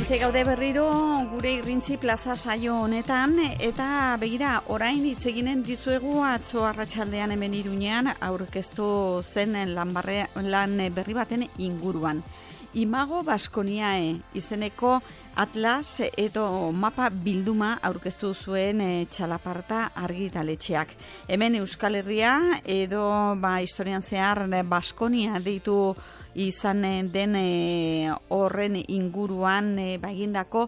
Hementxe gaude berriro gure Irrintzi plaza saio honetan eta begira orain hitz eginen dizuegu atzo arratsaldean hemen Iruñean aurkeztu zen lan berri baten inguruan. Imago Baskoniae izeneko atlas edo mapa bilduma aurkeztu zuen txalaparta argitaletxeak. Hemen Euskal Herria edo historian zehar Baskonia deitu izan den horren inguruan egindako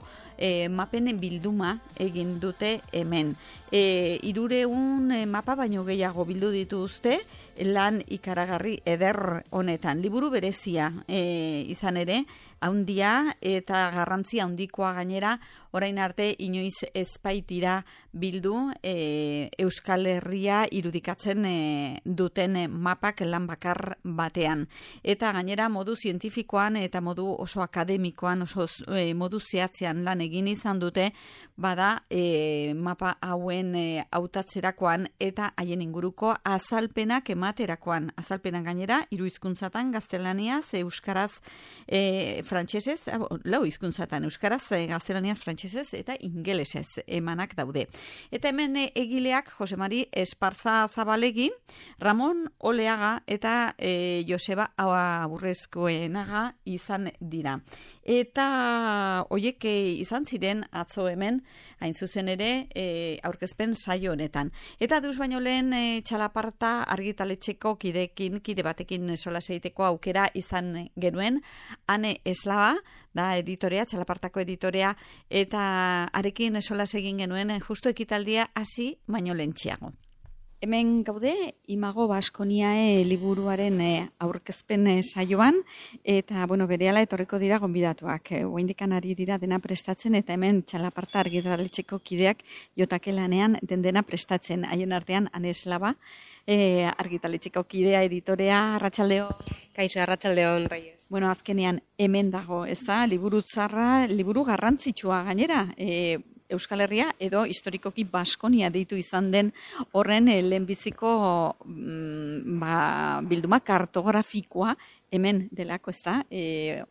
mapen bilduma egin dute hemen. 300 mapa baino gehiago bildu dituzte lan ikaragarri eder honetan. Liburu berezia izan ere, haundia eta garrantzia handikoa gainera, orain arte inoiz ezpaitira bildu Euskal Herria irudikatzen duten mapak lan bakar batean. Eta gainera modu zientifikoan eta modu oso akademikoan, oso modu zehatzean lan egin izan dute, bada mapa hauen hautatzerakoan eta haien inguruko azalpenak ematerakoan. Azalpenak gainera, 3 hizkuntzatan, gaztelaniaz, euskaraz, frantsesez, 4 hizkuntzatan, euskaraz, gaztelaniaz, frantsesez eta ingelesez emanak daude. Eta hemen egileak Jose Mari Esparza Zabalegi, Ramon Oleaga eta Joseba Aurrezkoenaga izan dira. Eta hoiek izan ziren atzo hemen, hain zuzen ere, aurkezpen saio honetan. Eta deus baino lehen txalaparta argitaletxeko kide batekin solas egiteko aukera izan genuen, Ane Eslaba, da editorea, txalapartako editorea, eta arekin solas egin genuen justu ekitaldia hasi baino lehentxeago. Hemen gaude, Imago Baskoniae liburuaren aurkezpen saioan, eta berehala etorriko dira gonbidatuak. Oraindikan ari dira dena prestatzen, eta hemen txalaparta argitaletxeko kideak jotake lanean dena prestatzen. Haien artean, Ane Eslaba, argitaletxeko kidea, editorea, arratsaldeo. Kaixo, arratsaldeon, Reyes. Azkenean hemen dago, ez da, liburu tzarra, liburu garrantzitsua gainera, Euskal Herria edo historikoki Baskonia deitu izan den horren lehenbiziko bilduma kartografikoa hemen delako, ez da,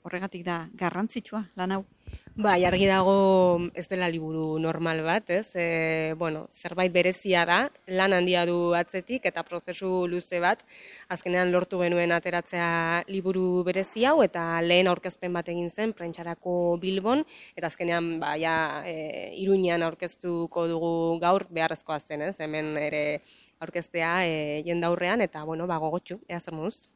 horregatik da garrantzitsua lan hau. Bai, argi dago ez dela liburu normal bat, ez? Zerbait berezia da, lan handia du atzetik eta prozesu luze bat, azkenean lortu genuen ateratzea liburu berezi hau eta lehen aurkezpen bat egin zen Prentsarako Bilbon, eta azkenean Iruñean aurkeztuko dugu gaur beharrezkoa zen, ez? Hemen ere aurkeztea jendaurrean eta gogotsu, ea zer moduz.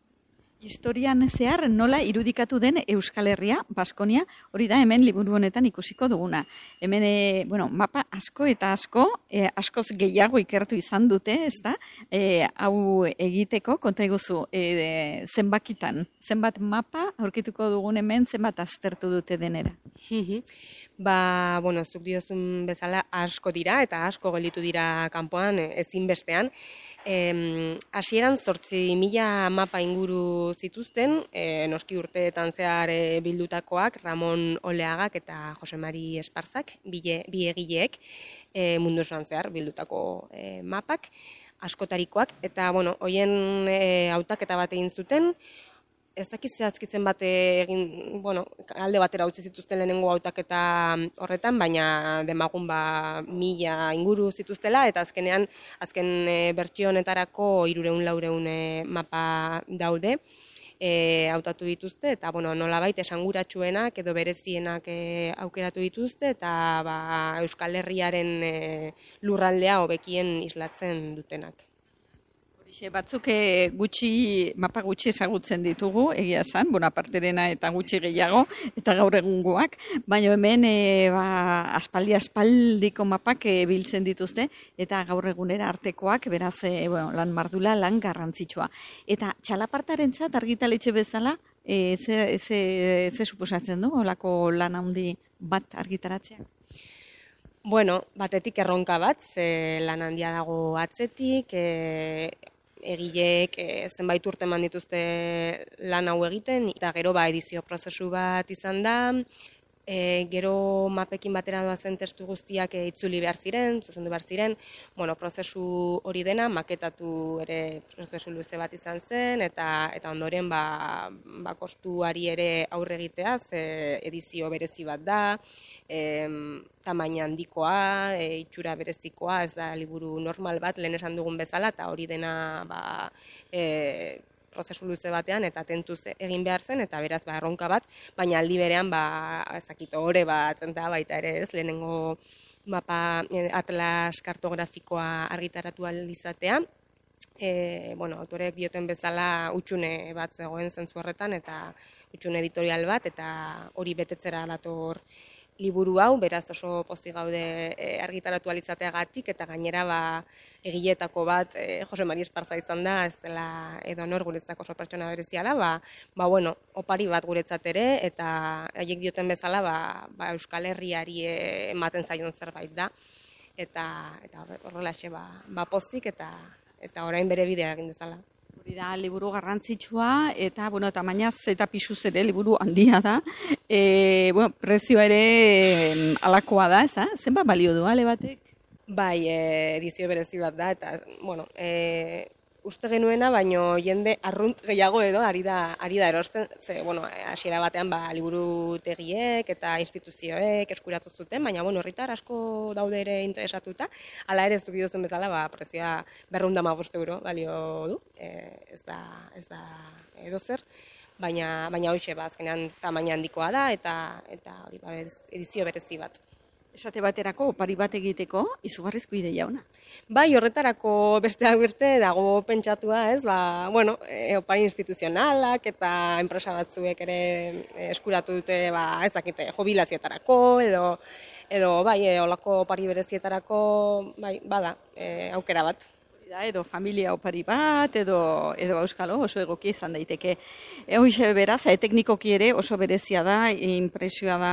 Historian zehar nola irudikatu den Euskal Herria, Baskonia, hori da hemen liburu honetan ikusiko duguna. Hemen, mapa asko eta askoz gehiago ikertu izan dute, ez da? Hau egiteko, konta eguzu, zenbakitan, zenbat mapa aurkituko dugun hemen, zenbat aztertu dute denera. Zuk diozun bezala asko dira eta asko gelditu dira kanpoan ezinbestean. Hasieran 8.000 mapa inguru zituzten, noski urteetan zehar bildutakoak, Ramon Oleagak eta Jose Mari Esparzak, bi egileek mundu osoan zehar bildutako mapak, askotarikoak, eta hoien hautaketa bat egin zuten, ez dakiz zehazkitzen bat egin, alde batera utzi zituzten lehenengo hautaketa horretan, baina demagun 1.000 inguru zituztela, eta azken bertsio honetarako 300-400 mapa daude, hautatu dituzte, eta nolabait esanguratsuenak edo berezienak aukeratu dituzte, eta Euskal Herriaren lurraldea hobekien islatzen dutenak. Batzuk mapa gutxi ezagutzen ditugu, egia esan, aparterena eta gutxi gehiago, eta gaur egungoak, baina hemen aspaldiko mapak biltzen dituzte, eta gaur egunera artekoak, beraz, lan mardula, lan garrantzitsua. Eta txalapartarentzat argitaletxe bezala, ze suposatzen du, olako lan handi bat argitaratzea? Batetik erronka bat, lan handia dago atzetik, egileek zenbait urte eman dituzte lan hau egiten, eta gero edizio prozesu bat izan da, Gero mapekin batera doazen testu guztiak itzuli behar ziren, zuzendu behar ziren, prozesu hori dena maketatu ere prozesu luze bat izan zen, eta ondoren kostuari ere aurre egiteaz, edizio berezi bat da, tamaina handikoa, itxura berezikoa, ez da liburu normal bat, lehen esan dugun bezala, eta hori dena prozesu luze batean eta tentuz egin behar zen, eta beraz erronka bat, baina aldi berean ezakito ore bat da baita ere ez, lehenengo mapa atlas kartografikoa argitaratu ahal izatea. Autorek dioten bezala utxune bat zegoen zentzu horretan, eta utxune editorial bat, eta hori betetzera dator liburu hau, beraz oso pozik gaude argitaratu ahal izateagatik, eta gainera egiletako bat Jose Mari Esparza izan da, ez dela edo nor guretzako oso pertsona berezia da, opari bat guretzat ere, eta haiek dioten bezala Euskal Herriari ematen zaion zerbait da, eta horrelaxe pozik eta orain bere bidea egin dezala. Hori da, liburu garrantzitsua, eta tamainaz eta pisuz ere liburu handia da. Prezioa ere alakoa da, ez da? Zenbat balio du, ale batek? Bai, edizio berezi bat da, eta, uste genuena, baino jende arrunt gehiago edo ari da erosten, ze, hasiera batean liburutegiek eta instituzioek eskuratu zuten, baina, herritar asko daude ere interesatuta, hala ere ez duk duzun bezala, prezioa 215 € balio du, ez da edo zer, baina hoxe, azkenean tamaina handikoa da, eta hori edizio berezi bat. Esate baterako, opari bat egiteko, izugarrizko ideia ona. Bai, horretarako besteak beste dago pentsatua, ez, opari instituzionalak eta enpresa batzuek ere eskuratu dute, ez dakite, jubilazioetarako, edo olako opari berezietarako, bada, aukera bat. Edo familia opari bat, edo auskalo, oso egokia izan daiteke. Hoxe beraz, teknikoki ere oso berezia da, impresioa da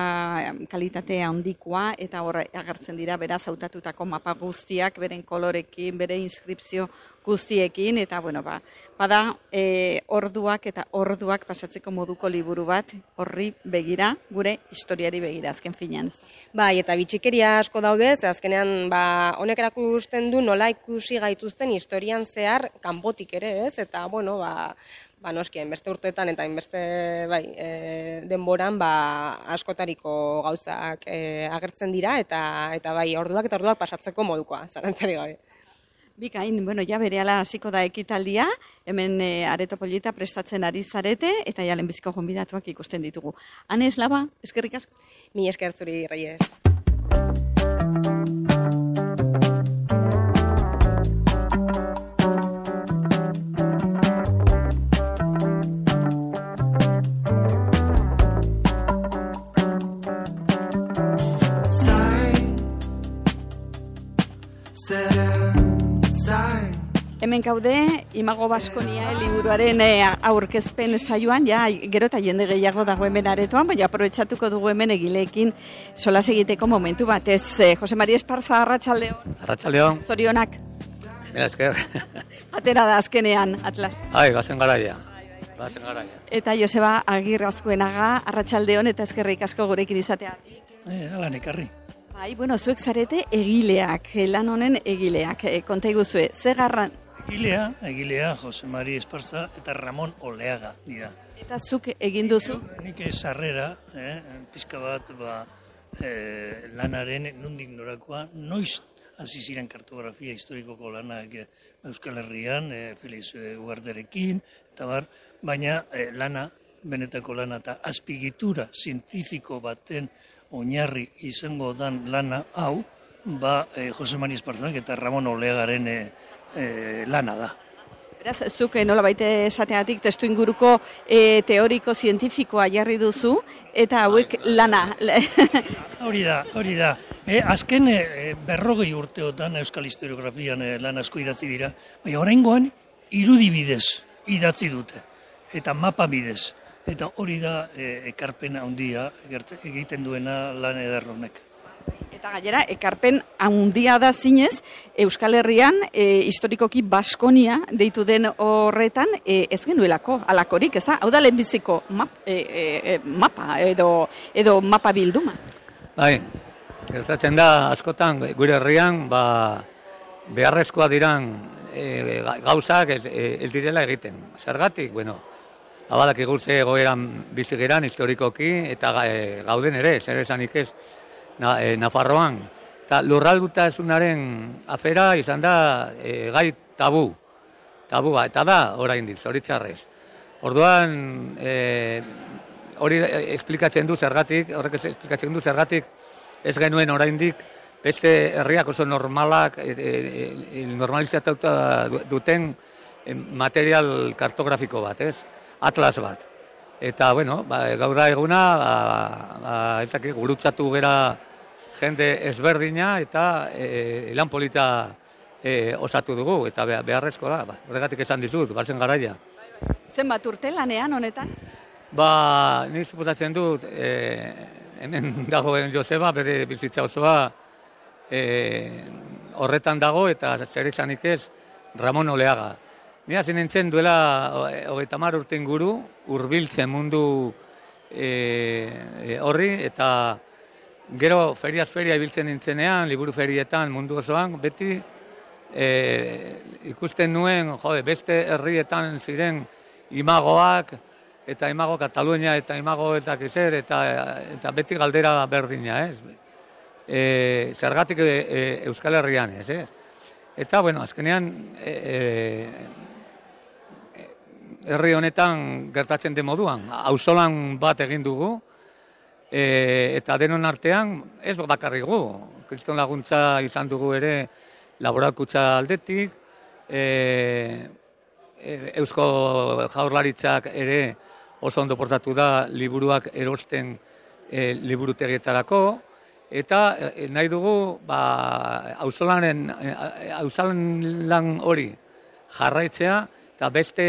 kalitate handikoa, eta hor agertzen dira beraz hautatutako mapa guztiak, beren kolorekin, bere inskripzio guztiekin, eta bada orduak eta orduak pasatzeko moduko liburu bat, horri begira, gure historiari begira, azken finean. Bai, eta bitxikeria asko daude, ze azkenean honek erakusten du nola ikusi gaituzten historian zehar kanpotik ere, ez? Eta, noski, hainbeste urteetan eta hainbeste denboran askotariko gauzak agertzen dira, eta orduak eta orduak pasatzeko modukoa, zarantzari gabe. Bikain, ja berehala hasiko da ekitaldia, hemen Areto Polita prestatzen ari zarete, eta ja lehenbiziko gonbidatuak ikusten ditugu. Ane Eslaba, eskerrik asko. Mi esker zuri, Reyes. Hemen gaude, Imago Baskonia liburuaren aurkezpen saioan, gero eta jende gehiago dago hemen aretoan, baina aprobetxatuko dugu hemen egileekin solas egiteko momentu batez. Jose Mari Esparza, arratsaldeon. Arratsaldeon. Zorionak. Mira, esker. Atera da azkenean, Atlas. Gazen garaia. Eta Joseba Agirrazkoenaga, arratsaldeon eta eskerrik asko gurekin izatea. Hala nekarri. Zuek zarete egileak, lan honen egileak. Konta iguzue, ze garran? Egilea Jose Mari Esparza eta Ramon Oleaga dira. Eta zuk egin duzu? Nik sarrera, pizka bat lanaren nondik norakoa, noiz hasi ziren kartografia historikoko lanak Euskal Herrian, Felix Ugarterekin, eta baina lana, benetako lana eta azpigitura zientifiko baten oinarri izango dan lana hau, Jose Mari Esparzak eta Ramon Oleagaren lana da. Beraz, zuk nolabait esateatik testu inguruko teoriko zientifikoa jarri duzu, eta hauek lana. Hori da. Azken 40 urteotan Euskal Historiografian lan asko idatzi dira, baina oraingoan irudibidez idatzi dute, eta mapa bidez. Eta hori da ekarpena handia egiten duena lan eder honek. Eta gainera, ekarpen handia da zinez, Euskal Herrian, historikoki Baskonia deitu den horretan, ez genuelako, alakorik, ez da? Hau da lehenbiziko mapa edo mapa bilduma. Bai, gertatzen da askotan gure herrian beharrezkoa diran gauzak ez direla egiten. Zergatik, bueno, abadak igurtze egoeran bizi geran historikoki eta gauden ere, zer esanik ez Nafarroan. Eta lurraldutasunaren afera izan da gai tabua, eta da oraindik, zoritxarrez. Orduan, hori esplikatzen du zergatik, ez genuen oraindik beste herriak oso normalak, normalizatuta duten material kartografiko bat, ez? Atlas bat. Eta, bueno, gaur da eguna, gurutzatu gera jende ezberdina eta lan polita osatu dugu, eta beharrezko da, horregatik esan dizut, bazen garaia. Zenbat urte lanean honetan? Nik suposatzen dut, hemen dagoen Joseba, bere bizitza osoa horretan dago, eta zer izanik ez, Ramon Oleaga. Ni hasi nintzen duela 30 urte inguru, hurbiltzen mundu horri, eta gero feriaz feria ibiltzen nintzenean, liburu ferietan mundu osoan, beti ikusten nuen, beste herrietan ziren imagoak, eta imago Katalunia, eta imago eta kizer, eta beti galdera berdina, ez? Zergatik Euskal Herrian, ez? Eta, bueno, azkenean, herri honetan gertatzen den moduan, auzolan bat egin dugu, eta denon artean, ez bakarrik gu, kriston laguntza izan dugu ere laboralkutza aldetik, Eusko Jaurlaritzak ere oso ondo portatu da liburuak erosten liburutegietarako, eta nahi dugu auzolan hori jarraitzea, eta beste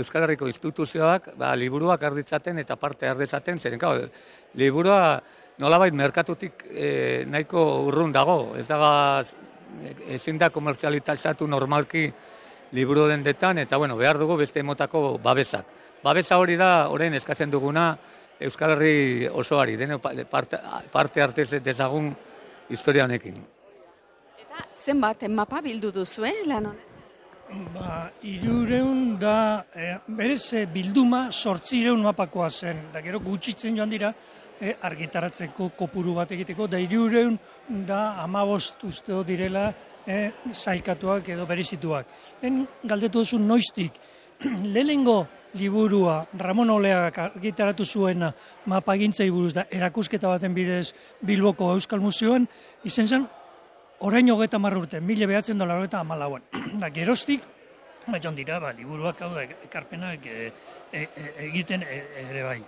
Euskal Herriko instituzioak liburuak arditzaten eta parte arditzaten, zeren, liburua nolabait merkatutik nahiko urrun dago, ezin da komertzializatu normalki liburu dendetan, eta behar dugu beste motako babesak. Babesa hori da, orain eskatzen duguna Euskal Herri osoari, parte hartez dezagun historia honekin. Eta zenbat mapa bildu duzu, lan honet? 300 da, berez bilduma 800 mapakoa zen, da gero gutxitzen joan dira, argitaratzeko kopuru bat egiteko, da 300 da 15 usteo direla zailkatuak edo berezituak. Lehen galdetu duzu noiztik, lehenengo liburua Ramon Oleagak argitaratu zuena mapagintzai buruz da erakusketa baten bidez Bilboko Euskal Museoan, izen zen orain 30 urte, 1994an. Da geroztik, joan dira, liburuak hau da ekarpenak egiten ere bai.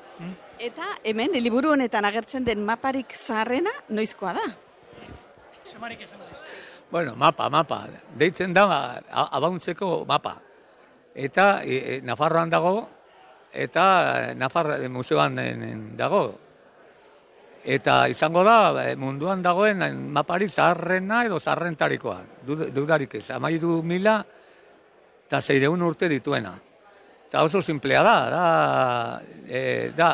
Eta hemen, liburu honetan agertzen den maparik zaharrena, noizkoa da? Zemarik esan dut. Bueno, mapa. Deitzen da, abauntzeko mapa. Eta Nafarroan dago, eta Nafar museoan dago. Eta izango da, munduan dagoen maparik zaharrena edo zaharrentarikoa. Dudarik ez, 13.600 urte dituena. Eta oso simplea da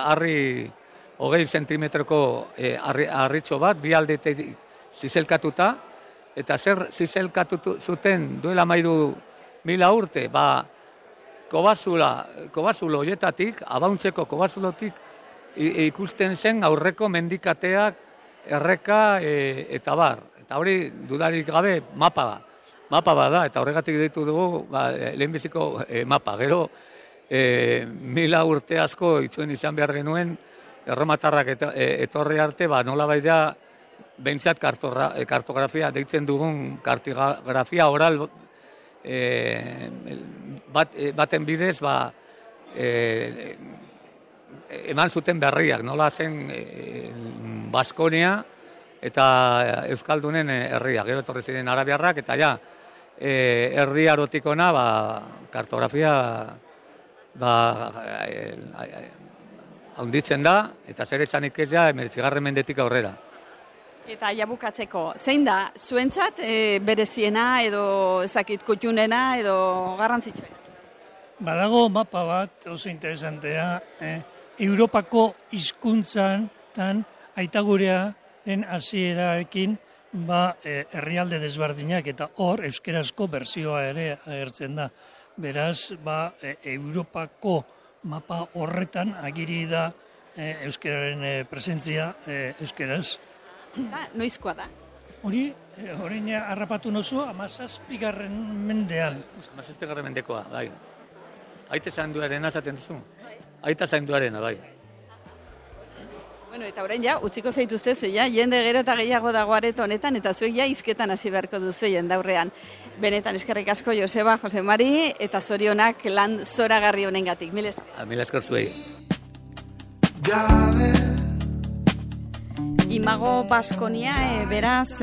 harri 20 zentimetroko harritxo bat, bi aldetik zizelkatuta, eta zer zizelkatu zuten duela 13.000 urte, kobazulo hoietatik, abauntzeko kobazulotik ikusten zen aurreko mendikateak, erreka eta bar. Eta hori dudarik gabe mapa da. Mapa da, eta horregatik ditu dugu lehenbiziko mapa. Gero, 1000 urte asko itzuen izan behar genuen, erromatarrak etorri arte, nola baidea, behintzat kartografia, deitzen dugun kartografia oral baten bidez, eman zuten berriak, nola zen Baskonia eta Euskaldunen herriak. Gero etorri ziren arabiarrak, eta herri arotikona kartografia haunditzen da, eta zer esanik ez 19. mendetik aurrera. Eta jabukatzeko, zein da, zuentzat bereziena edo ezakit kutxunena edo garrantzitsuena? Badago mapa bat oso interesantea, Europako hizkuntzan aitagurearen hasierarekin herrialde desberdinak eta hor euskarazko bertsioa ere agertzen da. Beraz, Europako mapa horretan agiri da euskararen presentzia euskaraz. Noizkoa da? Hori, orain harrapatu nozu, 17. mendean. 17. mendekoa, bai. Aita zainduarena esaten duzu? Aita zainduarena, bai. Bueno, eta orain utziko zaituzte jende gero eta gehiago dago areto honetan, eta zuek hizketan hasi beharko duzu jendaurrean. Benetan eskerrik asko Joseba, Jose Mari, eta zorionak lan zoragarri honengatik. Mil esker. Mil esker zuei. Imago Baskonia, beraz,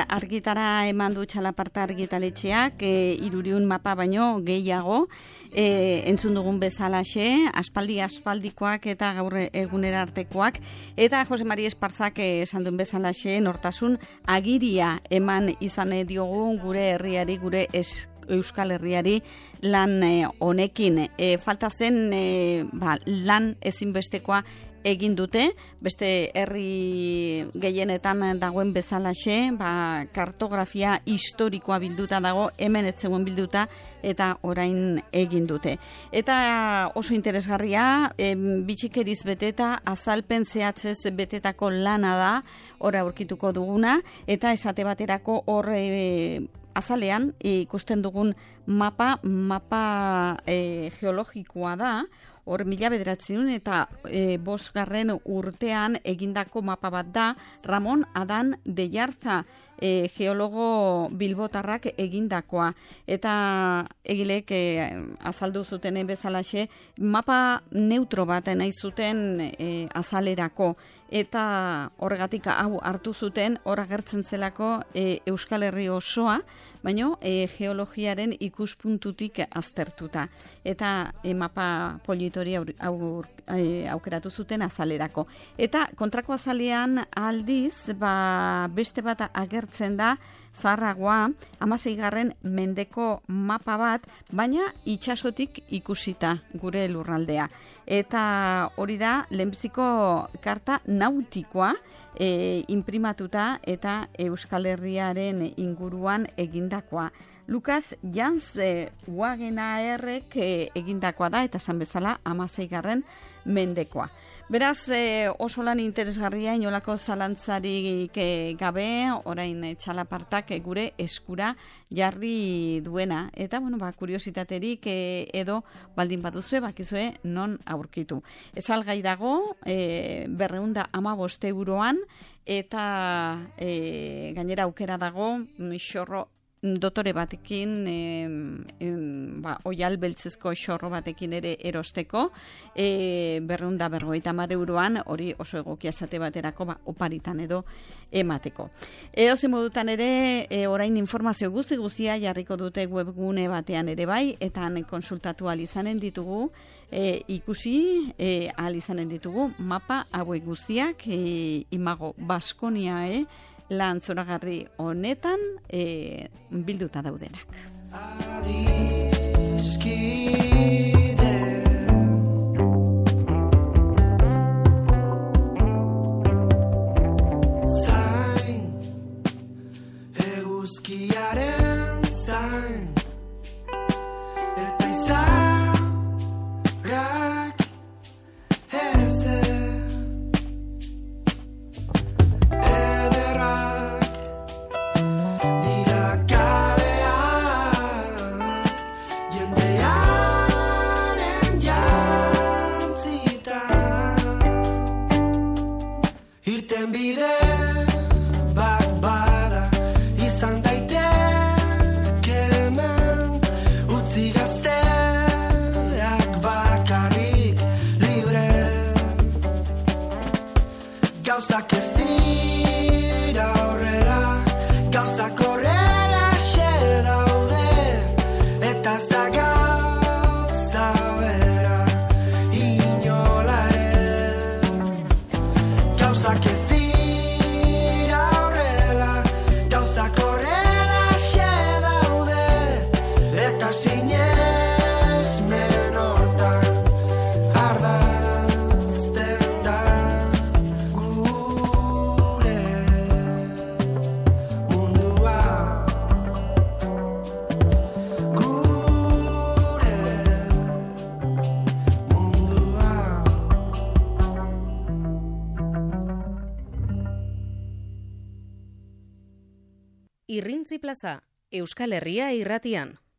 argitara eman du txalaparta argitaletxeak, 300 mapa baino gehiago, entzun dugun bezalaxe, aspaldikoak eta gaur egunera artekoak, eta Jose Mari Espartzak esan duen bezalaxe, nortasun agiria eman izan diogu gure herriari, gure Euskal Herriari lan honekin. Falta zen lan ezinbestekoa egin dute, beste herri gehienetan dagoen bezalaxe, kartografia historikoa bilduta dago, hemen ez zegoen bilduta, eta orain egin dute. Eta oso interesgarria, bitxikeriz beteta, azalpen zehatzez betetako lana da, ora aurkituko duguna, eta esate baterako hor azalean ikusten dugun mapa geologikoa da, hor 1900 eta 5. urtean egindako mapa bat da, Ramon Adan de Jarza geologo bilbotarrak egindakoa. Eta egilek azaldu zutenen bezalaxe, mapa neutro bat nahi zuten azalerako. Eta horregatik hau hartu zuten, hor agertzen zelako Euskal Herri osoa, baino geologiaren ikuspuntutik aztertuta. Eta mapa politori aukeratu zuten azalerako. Eta kontrako azalean aldiz, beste bat agertzen da, zaharragoa, 16. mendeko mapa bat, baina itsasotik ikusita gure lurraldea. Eta hori da, lehenbiziko karta nautikoa, imprimatuta eta Euskal Herriaren inguruan egindakoa. Lukas Jans Wagenaerrek egindakoa da, eta esan bezala 16. mendekoa. Beraz, oso lan interesgarria, inolako zalantzarik gabe, orain txalapartak gure eskura jarri duena. Eta, kuriositaterik edo baldin baduzue, bakizue non aurkitu. Esalgai dago, 215 euroan, eta gainera aukera dago, xorro dotore batekin, oial beltzezko xorro batekin ere erosteko, 250 euroan, hori oso egokia esate baterako, oparitan edo emateko. Edozein modutan ere, orain informazio guztia jarriko dute webgune batean ere bai, eta konsultatu alizanen ditugu, ikusi alizanen ditugu, mapa hauek guztiak, Imago Baskonia, lan zoragarri honetan bilduta daudenak. Zain, eguzkiaren zain, eta izarrak ez gauzak ez dira horrela. Irrintzi plaza, Euskal Herria irratian.